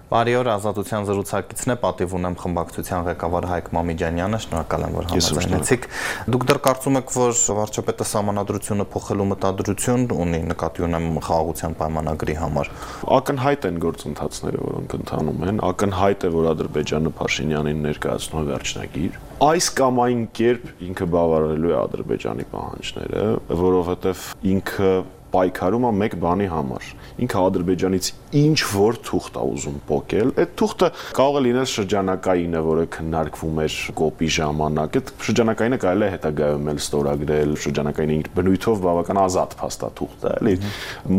Բարի օր, Ազատության զրուցակիցն է, պատիվ ունեմ խմբակցության ղեկավար Հայկ Մամիջանյանը, շնորհակալ եմ, որ համաձայնեցիք։ Դուք դեռ կարծում եք, որ վարչապետը սահմանադրությունը փոխելու մտադրություն ունի, նկատի ունեմ խաղաղության պայմանագրի համար։ Ակնհայտ են գործընթացները, որոնք ընթանում են, ակնհայտ է, որ Ադրբեջանը Փաշինյանին ներկայացնում է վերջնագիր։ Այս կամ այն կերպ ինքը բավարարելու է Ադրբեջանի պահանջները, որովհետև ինքը պայքարում է մեկ բանի համար։ Ինքը Ադրբեջանից ինչ որ թուղթ է ուզում փոկել։ Այդ թուղթը կարող է լինել շրջանակայինը, որը քննարկվում էր կոպի ժամանակ։ Այդ շրջանակայինը կարելի է հետագայում էլ ստորագրել, շրջանակայինը իր բնույթով բավական ազատ փաստաթուղթ է, էլի։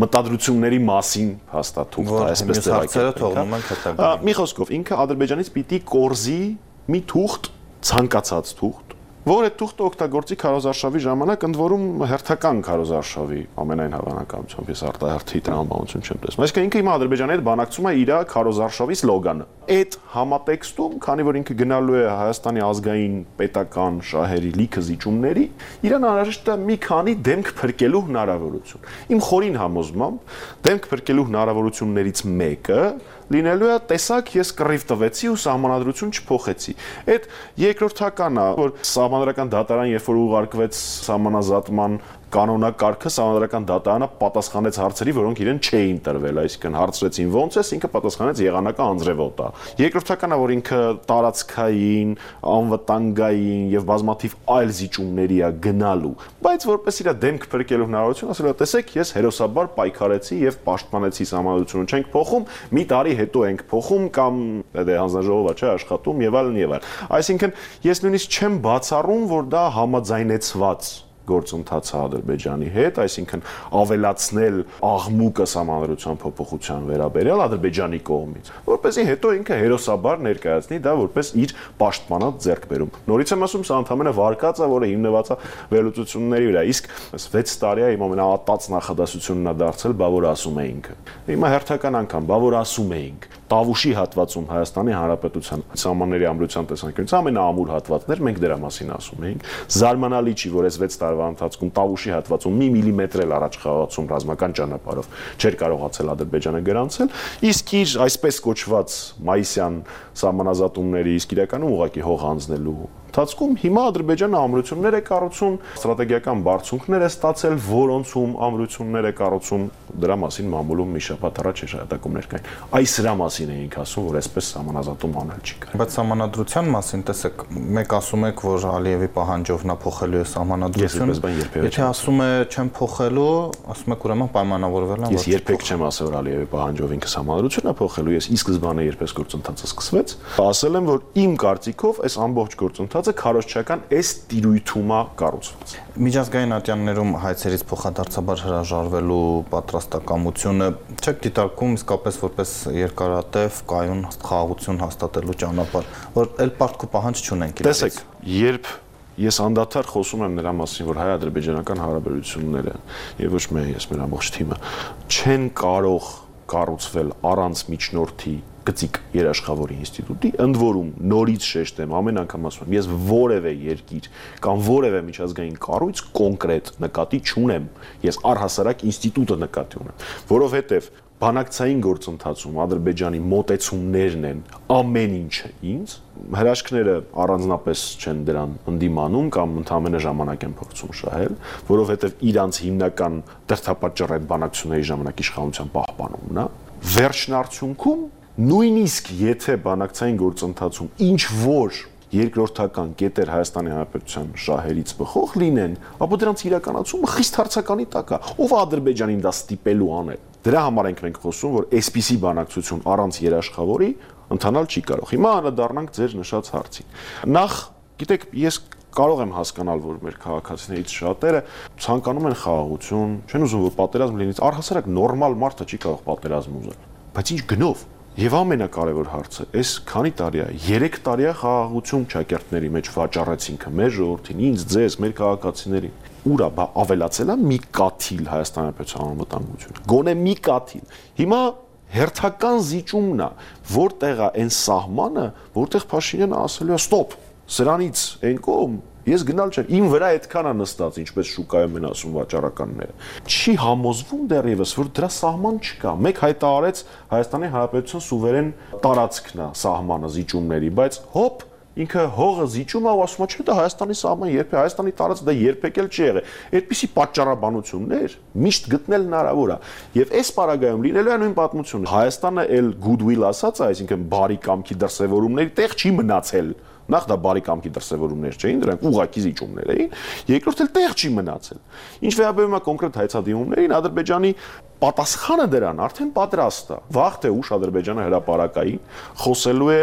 Մտադրությունների մասին փաստաթուղթ է, այսպես հարցերը թողնում ենք հետագա։ Մի խոսքով, ինքը Ադրբեջանից պիտի կորզի մի թուղթ, ցանկացած թուղթ, որ այդ թուղթը օգտագործի քարոզարշավի ժամանակ, ընդ որում հերթական քարոզարշավի ամենայն հավանականությամբ, ես արտահերթի տրամաբանություն չեմ տեսնում։ Այսինքն ինքը հիմա Ադրբեջանի հետ բանակցում է իր քարոզարշավի սլոգանը։ Այդ համատեքստում, քանի որ ինքը գնալու է Հայաստանի ազգային պետական շահերի լիքը զիջումների, իրան անհրաժեշտ է մի քանի դեմք փրկելու հնարավորություն։ Իմ խորին համոզմամբ դեմք փրկելու հնարավորություններից մեկը լինելու է տեսակ ես կռիվ տվեցի ու սահմանադրություն չփոխեցի։ Այդ երկրորդականն է, որ սահմանադրական դատարան երբ որ ուղարկվեց սահմանազատման կանոնակարգը, սահմանադրական դատարանը պատասխանեց հարցերի, որոնք իրեն չէին տրվել, այսինքն հարցրեցին ոնց է, ինքը պատասխանեց եղանակը անձրևոտ է։ Երկրորդականը, որ ինքը տարածքային, անվտանգային եւ բազմաթիվ այլ զիջումների է գնալու, բայց որպես իր դեմք փրկելու հնարավորություն, ասել է, տեսեք, ես հերոսաբար պայքարեցի եւ պաշտպանեցի սահմանադրությունը, չենք փոխում, մի տարի հետո ենք փոխում կամ հանձնաժողովը չէ աշխատում եւ այլն եւ այլն։ Այսինքն ես նույնիսկ չեմ բացառում, որ դա համաձայնեցված գործընթաց Ադրբեջանի հետ, այսինքն ավելացնել աղմուկը սահմանադրության փոփոխության վերաբերյալ Ադրբեջանի կողմից, որպեսզի հետո ինքը հերոսաբար ներկայացնի դա որպես իր պաշտպանած ձեռքբերում։ Նորից եմ ասում, սա ընդհանրապես վարկած է, որը հիմնված է վերլուծությունների վրա, իսկ 6 տարի է իմ ամենաատած նախադասությունն է դարձել, բա որ ասում էինք։ Հիմա հերթական անգամ, բա որ ասում էինք։ Տավուշի հատվածում Հայաստանի Հանրապետության սահմանների ամրության տեսանկյունից ամենաամուր հատվածներ, մենք դրա մասին ասում էինք։ Զարմանալի չի, որ այս 6 տարվա ընթացքում Տավուշի հատվածում մի միլիմետր էլ առաջ խաղացում ռազմական ճանապարհով չէր կարողացել Ադրբեջանը գրանցել, իսկ իր այսպես կոչված մայիսյան սահմանազատումների իսկ իրականում ուղղակի հող հանձնելու ընթացքում հիմա Ադրբեջանը ամրություններ է կառուցում, ստրատեգիական բարձունքներ է ստացել, որոնցում ամրություններ է կառուցում, դրա մասին մամուլում մի շաբաթ առաջ հրատակումներ կային։ Այս դրա մասին էինք ասում, որ այսպես սահմանազատում անել չի կարող։ Բայց սահմանադրության մասին, տեսեք, մեկ ասում եք, որ Ալիևի պահանջով նա փոխելու է սահմանադրությունը։ Եթե ասում է չեմ փոխելու, ասում եք ուրեմն պայմանավորվել եմ։ Ես երբեք չեմ ասել, որ Ալիևի պահանջով ինքը սահմանադրությունը փոխելու, ես ի սկզբանե երբես գործընթացը սկսվեց, ասել եմ, որ իմ կարծիքով այս ամբողջ գործընթացը քարոզչական այս տիրույթում է կառուցված։ Միջազգային ատյաններում հայցերից փոխադարձաբար հրաժարվելու պատրաստակամությունը չեք դիտարկում իսկապես որպես երկարատև կայուն խաղաղություն հաստատելու ճանապարհ, որ էլ պարտքու պահանջ չունենք իրարից։ Տեսեք, երբ ես անդադար խոսում եմ նրա մասին, որ հայ-ադրբեջանական հարաբերությունները եւ ոչ միայն ես, մեր ամբողջ թիմը չեն կարող կառուցվել առանց միջնորդի գծիկ երաշխավորի ինստիտուտի, ընդ որում նորից շեշտեմ, ամեն անգամ ասում եմ, ես որևէ երկիր կամ որևէ միջազգային կառույց կոնկրետ նկատի չունեմ, ես առհասարակ ինստիտուտը նկատի ունեմ, որովհետև բանակցային գործընթացում Ադրբեջանի մոտեցումներն են ամեն ինչը ինձ, հրաշքները առանձնապես չեն դրան ընդդիմանում կամ ընդհանրապես ժամանակ են փորձում շահել, որովհետև իրանց հիմնական դրդապատճառը այդ բանակցությունների ժամանակ իշխանության պահպանումն է, վերջնարդյունքում նույնիսկ եթե բանակցային գործընթացում ինչ որ երկրորդական կետեր Հայաստանի Հանրապետության շահերից բխող լինեն, ապա դրանց իրականացումը խիստ հարցականի տակ է, ով Ադրբեջանին դա ստիպելու անել։ Դրա համար ենք խոսում, որ այսպիսի բանակցություն առանց երաշխավորի ընթանալ չի կարող։ Հիմա անդրադառնանք ձեր նշած հարցին։ Նախ, գիտեք, ես կարող եմ հասկանալ, որ մեր քաղաքացիներից շատերը ցանկանում են խաղաղություն, չեն ուզում, որ պատերազմ լինի, առհասարակ նորմալ մարդը չի կարող պատերազմ ուզել։ Բայց ինչ գնով։ Եվ ամենակարևոր հարցը, այս քանի տարի է, 3 տարի է խաղաղություն ճակերտների մեջ վաճառեցինք մեր ժողովրդին, ինձ, ձեզ, մեր քաղաքացիներին։ Ուրա ավելացել է մի կաթիլ Հայաստանի Հանրապետության անվտանգությունը։ Գոնե մի կաթիլ։ Հիմա հերթական զիջումն է, որտեղ է այն սահմանը, որտեղ Փաշինյանը ասելու է ստոպ, սրանից այն կողմ Ես գնալ չեմ, իմ վրա այդքան է նստած, ինչպես շուկայում են ասում վաճառականները։ Չի համոզվում դեռևս, որ դրա սահման չկա։ Մեկ հայտարարեց Հայաստանի Հանրապետության սուվերեն տարածքն է սահմանը զիջումների, բայց հոպ ինքը հողը զիջում է ու ասում է, չէ, դա Հայաստանի սահման երբեք, Հայաստանի տարածք դա երբեք էլ չի եղել։ Այդպիսի պատճառաբանություններ միշտ գտնել հնարավոր է։ Եվ այս պարագայում լինելու է նույն պատմությունը։ Հայաստանը էլ goodwill ասած է, այսինքն բարի կամքի դրսևորումների տեղ չի մնացել։ Նախ դա բարի կամքի դրսևորումներ չէին, դրանք ուղղակի զիջումներ էին, երկրորդ էլ տեղ չի մնացել։ Ինչ վերաբերում է կոնկրետ հայցադիմումներին, Ադրբեջանի պատասխանը դրան արդեն պատրաստ է։ Վաղ թե ուշ Ադրբեջանը հրապարակային խոսելու է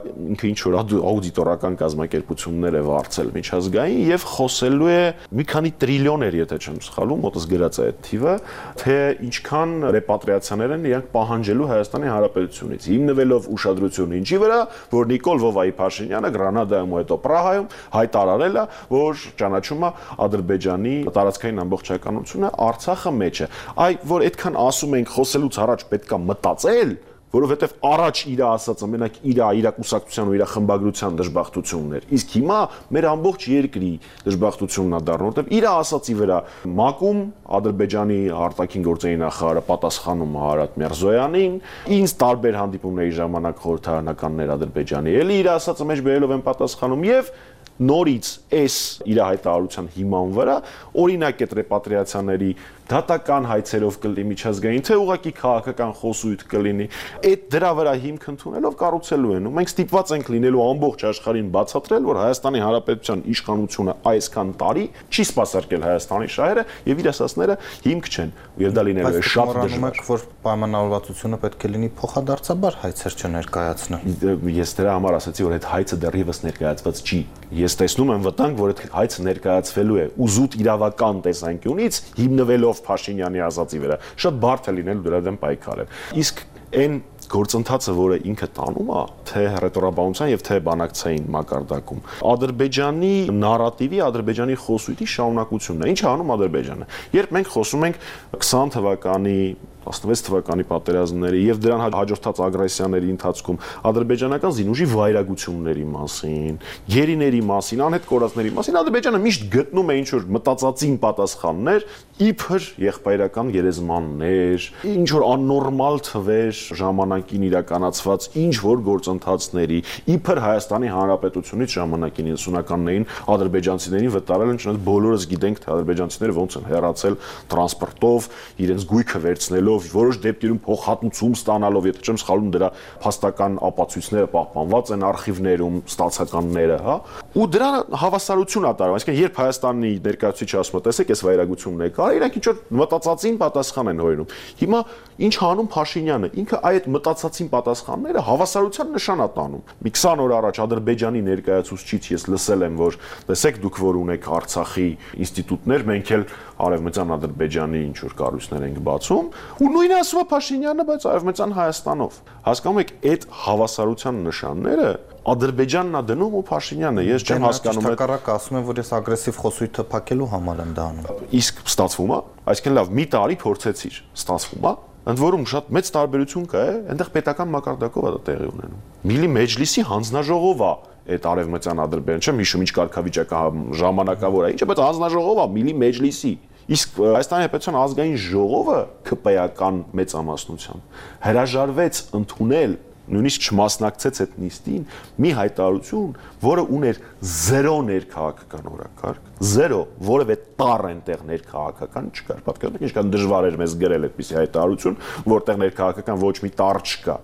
ինքը ինչ որ աուդիտորական կազմակերպություններ է վարձել միջազգային եւ խոսելու է մի քանի տրիլիոներ, եթե չեմ սխալվում, մոտս գրած է այդ թիվը, թե ինչքան ռեպատրիացիաներ են իրանք պահանջելու Հայաստանի Հանրապետությունից, հիմնվելով ուշադրությունը ինչի վրա, որ Նիկոլ Վովայի Փաշինյանը Գրանադայում ու հետո Պրահայում հայտարարել է, որ ճանաչում է Ադրբեջանի տարածքային ամբողջականությունը, Արցախը մեջ է։ Այ որ այդքան ասում ենք խոսելուց առաջ պետքա մտածել, որովհետև առաջ իր ասածը մենակ իր կուսակցության ու իր խմբագրության դժբախտությունն էր։ Իսկ հիմա մեր ամբողջ երկրի դժբախտությունն է դառնում, որովհետև իր ասածի վրա ՄԱԿ-ում Ադրբեջանի արտաքին գործերի նախարարը պատասխանում Հարատ Միրզոյանին, ինձ տարբեր հանդիպումների ժամանակ խորհրդարանականներ Ադրբեջանի էլի իր ասածը մեջ բերելով են պատասխանում եւ նորից այս իր հայտարարության հիման վրա օրինակ այդ ռեպատրիացիաների դատական հայցերով կլինի միջազգային, թե ուղղակի քաղաքական խոսույթ կլինի, այդ դրա վրա հիմք ընդունելով կառուցելու են։ Ու մենք ստիպված ենք լինելու ամբողջ աշխարհին բացատրել, որ Հայաստանի Հանրապետության իշխանությունը այսքան տարի չի սպասարկել Հայաստանի շահերը եւ իր ասածները հիմք չեն։ Եվ դա լինելու է շատ դժվար։ Որ պայմանավորվածությունը պետք է լինի փոխադարձաբար հայցեր չներկայացնել։ Ես դրա համար ասացի, որ այդ հայցը դեռևս ներկայացված չի։ Ես տեսնում եմ վտանգ, որ այդ հայցը ներկայացվելու է ուզուտ իրավական տեսանկյունից հիմնվելով Փաշինյանի ասածի վրա։ Շատ բարդ է լինել դրա դեմ պայքարել։ Իսկ այն գործընթացը, որը ինքը տանում է, թե ռետորաբանության եւ թե բանակցային մակարդակում, Ադրբեջանի նարատիվի, Ադրբեջանի խոսույթի շարունակությունն է։ Ինչ է անում Ադրբեջանը։ Երբ մենք խոսում ենք 20 թվականի 16 թվականի պատերազմների եւ դրան հաջորդած ագրեսիաների ընթացքում ադրբեջանական զինուժի վայրագությունների մասին, գերիների մասին, անհետ կորածների մասին Ադրբեջանը միշտ գտնում է ինչ որ մտածածին պատասխաններ, իբր եղբայրական գերեզմաններ, ինչ որ աննորմալ թվեր ժամանակին իրականացված ինչ որ գործընթացների, իբր Հայաստանի Հանրապետությունից ժամանակին 90-ականներին ադրբեջանցիներին վտարել են, չնայած բոլորս գիտենք, թե ադրբեջանցիները ոնց են հեռացել տրանսպորտով, իրենց գույքը վերցնելով որոշ դեպքերում փոխհատուցում ստանալով, եթե չեմ սխալվում, դրա փաստական ապացույցները պահպանված են արխիվներում, ստացականները, հա։ Ու դրա հավասարություն ա տարվում, այսինքն երբ Հայաստանի ներկայացուցիչը ասում է, տեսեք, այս վայրագությունն է կար, իրանք ինչ որ մտածածին պատասխան են հորինում։ Հիմա ինչ անում Փաշինյանը, ինքը այդ մտածածին պատասխանները հավասարության նշան ա տանում։ Մի 20 օր առաջ Ադրբեջանի ներկայացուցիչից ես լսել եմ, որ տեսեք դուք որ ունեք Արցախի ինստիտուտներ, մենք էլ արևմտյան Ադրբեջանի ինչ որ կառույցներ ենք բացում, ու նույնը ասում է Փաշինյանը, բայց արևմտյան Հայաստանով։ Հասկանում եք, այդ հավասարության նշանները Ադրբեջանն է դնում ու Փաշինյանը, ես չեմ հասկանում։ Հակառակը ասում են, որ ես ագրեսիվ խոսույթը փակելու համար եմ դա անում։ Իսկ ստացվում է, այսինքն լավ, մի տարի փորձեցիր, ստացվում է։ Ընդ որում շատ մեծ տարբերություն կա, այնտեղ պետական մակարդակով է դա տեղի ունենում։ Միլի մեջլիսի հանձնաժողով է այդ արևմտյան Ադրբեջան, չեմ հիշում ինչ կարգավիճակը ժամանակավոր է, ինչը բայց հանձնաժողով է Միլի մեջլիսի։ Իսկ Հայաստանի Հանրապետության ազգային ժողովը ԿՊ-ական մեծամասնությամբ հրաժարվեց ընդունել, նույնիսկ չմասնակցեց այդ նիստին, մի հայտարարություն, որը ուներ 0 ներքաղաքական օրակարգ, 0, որևէ տառ այնտեղ ներքաղաքական չկար։ Պատկերացրեք ինչքան դժվար էր մեզ գրել այդպիսի հայտարարություն, որտեղ ներքաղաքական ոչ մի տառ չկա։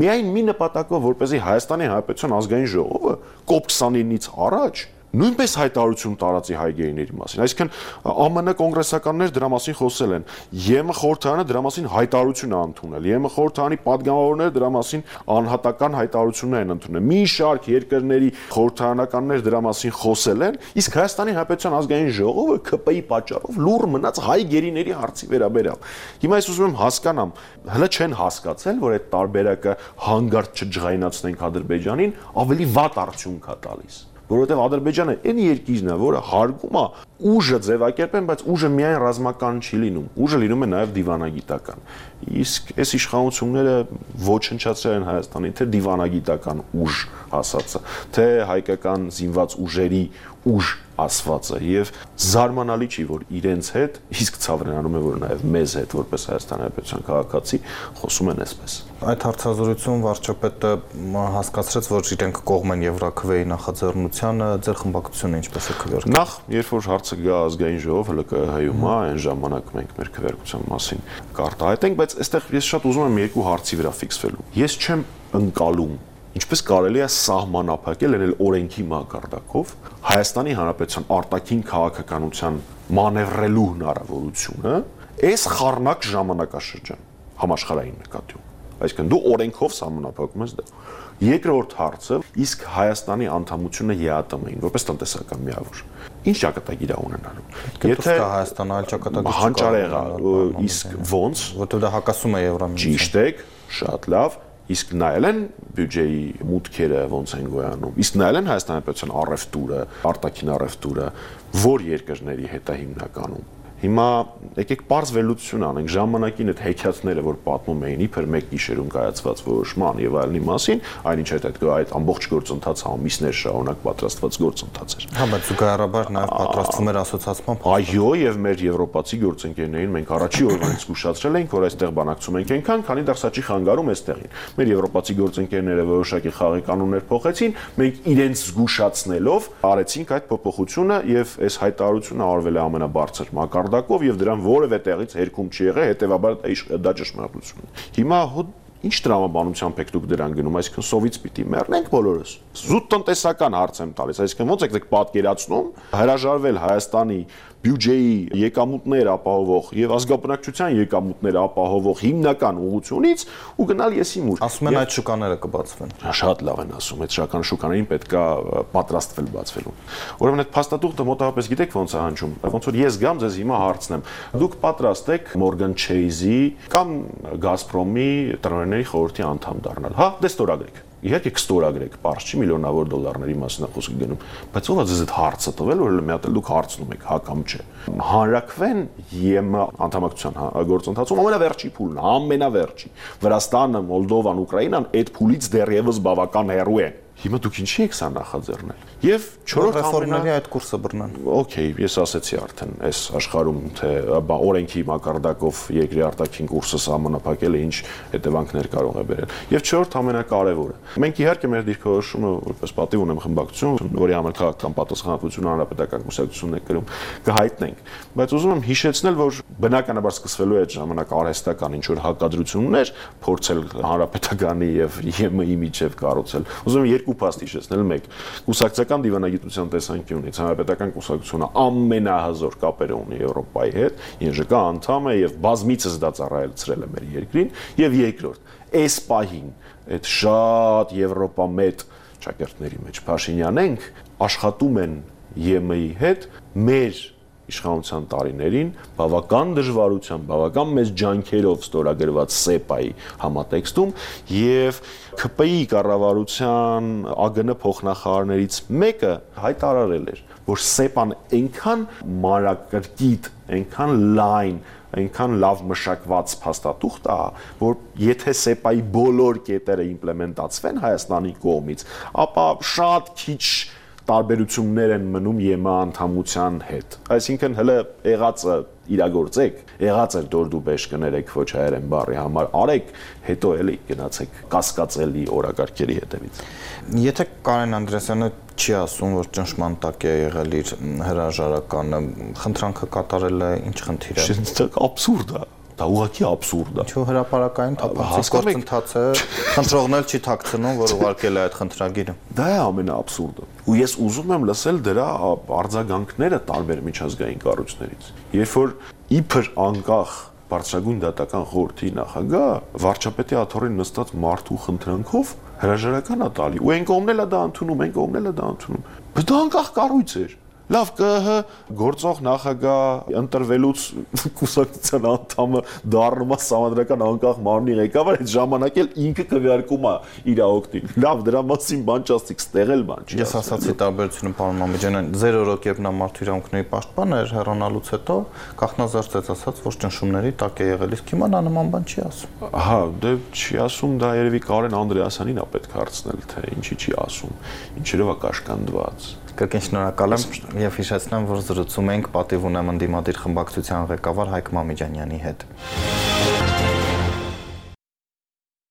Միայն մի նպատակով, որպեսզի Հայաստանի Հանրապետության ազգային ժողովը COP29-ից առաջ նույնպես հայտարարություն տարածի հայ գերիների մասին։ Այսինքն ԱՄՆ կոնգրեսականներ դրա մասին խոսել են։ ԵՄ խորհրդարանը դրա մասին հայտարարություն է ընդունել։ ԵՄ խորհրդարանի падգամավորները դրա մասին անհատական հայտարարություններ են ընդունել։ Մի շարք երկրների խորհրդարանականներ դրա մասին խոսել են, իսկ Հայաստանի Հանրապետության ազգային ժողովը ԿՊ-ի պատճառով լուռ մնաց հայ գերիների հարցի վերաբերյալ։ Հիմա ես ուզում եմ հասկանամ, հələ չեն հասկացել, որ այդ տարբերակը հանգարտ չջղայնացնենք Ադրբեջանին, ավելի վատ արդյունք է տալիս։ Որովհետև Ադրբեջանը այն երկիրն է, որը հարգում է ուժը ձևակերպեն, բայց ուժը միայն ռազմական չի լինում։ Ուժը լինում է նաև դիվանագիտական։ Իսկ այս իշխանությունները ոչնչացրել են Հայաստանի թե դիվանագիտական ուժ ասածը, թե հայկական զինված ուժերի ուժ ասվածը եւ զարմանալի չի որ իրենց հետ իսկ ցավրենանում է որ նաեւ մեզ հետ որպես Հայաստանի Հանրապետության քաղաքացի խոսում են այսպես։ Այդ հարցազրույցում վարչապետը հասկացրեց որ իրենք կողմ են Եվրաքվեի նախաձեռնությանը, ձեր խմբակցությունը ինչպես է քվեարկել։ Նախ երբ որ հարցը գա ազգային ժողով ՀԼԿՀ-ում այն ժամանակ մենք մեր քվեարկության մասին կարտահայտենք, բայց այստեղ ես շատ ուզում եմ երկու հարցի վրա ֆիքսվելու։ Ես չեմ ընկալում ինչպես կարելի է սահմանափակել այլ օրենքի մակարդակով Հայաստանի Հանրապետության արտաքին քաղաքականության մանևրելու հնարավորությունը այս խառնակ ժամանակաշրջան համաշխարհային նկատիում։ Այսինքն դու օրենքով սահմանափակում ես դա։ Երկրորդ հարցը իսկ Հայաստանի անդամությունը ԵԱՏՄ-ին որպես տնտեսական միավոր։ Ինչ ճակատագիր է ունենալու։ Եթե Հայաստանը այլ ճակատագիր հանճարեղա, իսկ ոնց, որտեղ դա հակասում է Եվրամիության։ Ճիշտ է, շատ լավ։ Իսկ նայել են բյուջեի մուտքերը ոնց են գոյանում։ Իսկ նայել են Հայաստանի Հանրապետության առևտուրը, արտաքին առևտուրը, որ երկրների հետ է հիմնականում։ Հիմա եկեք պարզ վերլուծություն անենք ժամանակին այդ հեքիաթները որ պատմում էին իբր մեկ գիշերում կայացված որոշման եւ այլնի մասին, այնինչ այդ ամբողջ գործընթացը ամիսներ շարունակ պատրաստված գործընթաց էր։ Հա, բայց զուգահեռաբար նաեւ պատրաստվում էր ասոցիացման։ Այո, եւ մեր եվրոպացի գործընկերներին մենք առաջի օրվանից զգուշացրել ենք, որ այստեղ բանակցում ենք այնքան, քանի դեռ սա չի խանգարում այստեղին։ Մեր եվրոպացի գործընկերները որոշակի խաղի կանոններ փոխեցին, մենք իրենց զգուշացնելով արեցինք այդ փոփոխությունը եւ այս հայտարարությունը արվել է ամենաբարձր մակարդակով եւ դրան որևէ տեղից հերքում չի եղել, հետեւաբար դա ճշմարտություն է։ Հիմա ինչ տրամաբանությամբ եք դուք դրան գնում, այսինքն սովից պիտի մեռնենք բոլորս։ Զուտ տնտեսական հարց եմ տալիս, այսինքն ոնց եք պատկերացնում հրաժարվել Հայաստանի բյուջեի եկամուտներ ապահովող եւ ազգաբնակչության եկամուտներ ապահովող հիմնական ուղղությունից ու գնալ եսիմուր։ Ասում են այդ շուկաները կբացվեն։ Շատ լավ են ասում, այդ շական շուկաներին պետքա պատրաստվել բացվելու։ Ուրեմն այդ փաստաթուղթը մոտավորապես գիտեք ոնց է հնչում, ոնց որ ես գամ ձեզ հիմա հարցնեմ։ Դուք պատրաստ եք Morgan Chase-ի կամ Gazprom-ի տնօրենների խորհրդի անդամ դառնալ։ Հա, դե ստորագրեք։ Իհարկե կստորագրեք, պարզ չի միլիոնավոր դոլարների մասին է խոսքը գնում, բայց ով է ձեզ այդ հարցը տվել, որ մի հատ էլ դուք հարցնում եք, հա կամ չէ։ Հանրաքվեն ԵՄ անդամակցության գործընթացում ամենավերջի փուլն է, ամենավերջի։ Վրաստանը, Մոլդովան, Ուկրաինան այդ փուլից դեռևս բավական հեռու են։ Հիմա դուք ինչի եք սա նախաձեռնել։ Եվ 4-րդ ռեֆորմների այդ կուրսը բռնան։ Okay, ես ասեցի արդեն, այս աշխարհում թե օրենքի մակարդակով երկրի արտաքին կուրսը սահմանափակելը ինչ հետևանքներ կարող է բերել։ Եվ 4-րդ ամենակարևորը։ Մենք իհարկե մեր դիրքորոշումը որպես պատիվ ունեմ խմբակցություն, որի համար քաղաքական պատասխանատվություն հանրապետական կուսակցությունն է կրում, կհայտնենք։ Բայց ուզում եմ հիշեցնել, որ բնականաբար սկսվելու է այդ ժամանակ արհեստական ինչ որ հակադրություններ, փորձել հանրապետականի եւ ԵՄ-ի միջև կառուցել։ Ուզում եմ երկու փաստ հիշեցնել, մեկ կուսակցական դիվանագիտության տեսանկյունից հանրապետական կուսակցությունը ամենահզոր կապերը ունի Եվրոպայի հետ, ԵԺԿ անդամ է եւ բազմիցս դա ծառայեցրել է մեր երկրին, եւ երկրորդ, այս պահին այդ շատ եվրոպամետ ճակերտների մեջ Փաշինյանենք աշխատում են ԵՄ-ի հետ մեր իշխանության տարիներին բավական դժվարությամբ, բավական մեծ ջանքերով ստորագրված ՍԵՊԱ-ի համատեքստում եւ ՔՊ-ի կառավարության ԱԳՆ փոխնախարարներից մեկը հայտարարել էր, որ ՍԵՊԱ-ն այնքան մանրակրկիտ, այնքան լայն, այնքան լավ մշակված փաստաթուղթ է, որ եթե ՍԵՊԱ-ի բոլոր կետերը իմպլեմենտացվեն Հայաստանի կողմից, ապա շատ քիչ տարբերություններ են մնում ԵՄ անդամության հետ։ Այսինքն հələ եղածը իրագործեք, եղած էր դորդուբեշ կներեք ոչ հայերեն բառի համար, արեք, հետո էլի գնացեք կասկածելի օրակարգերի հետևից։ Եթե Կարեն Անդրեասյանը չի ասում, որ ճնշման տակ է եղել իր հրաժարականը, խնդրանքը կատարելը ինչ խնդիր է։ Դա աբսուրդ է։ Դա ուղղակի աբսուրդ է։ Չէ, հրապարակային թափանցիկ գործընթացը խնդրողն էլ չի թաքցնում, որ ուղարկել է այդ խնդրագիրը։ Դա է ամենաաբսուրդը։ Ու ես ուզում եմ լսել դրա արձագանքները տարբեր միջազգային կառույցներից։ Երբ որ իբր անկախ բարձրագույն դատական խորհրդի նախագահ վարչապետի աթոռին նստած մարդու խնդրանքով հրաժարական է տալի, ու այն կողմն էլ է դա ընդունում, այն կողմն էլ է դա ընդունում։ Բայց դա անկախ կառույց էր։ Լավ ԿՀ գործող նախագահ ընտրվելուց կուսակցության անդամը դառնում է համանդրական անկախ մարմնի ղեկավար, այդ ժամանակ էլ ինքը քվեարկում է իր օգտին։ Լավ, դրա մասին բան չասցիք, ստեղել բան չի։ Ես ասացի տարբերությունը պարոն Մամեջանյան, 0 օրոք երբ նա մարդու իրավունքների պաշտպան էր հեռանալուց հետո կախնազարդեց ասաց, որ ճնշումների տակ է եղել, իսկ հիմա նա նման բան չի ասում։ Ահա, դե չի ասում, դա երևի Կարեն Անդրեասյանին է պետք հարցնել, թե ինչի չի ասում, ինչերով է կաշկանդված։ Կրկին շնորհակալ եմ եւ հիշեցնեմ, որ զրուցում ենք պատիվ ունեմ ընդդիմադիր խմբակցության ղեկավար Հայկ Մամեջանյանի հետ։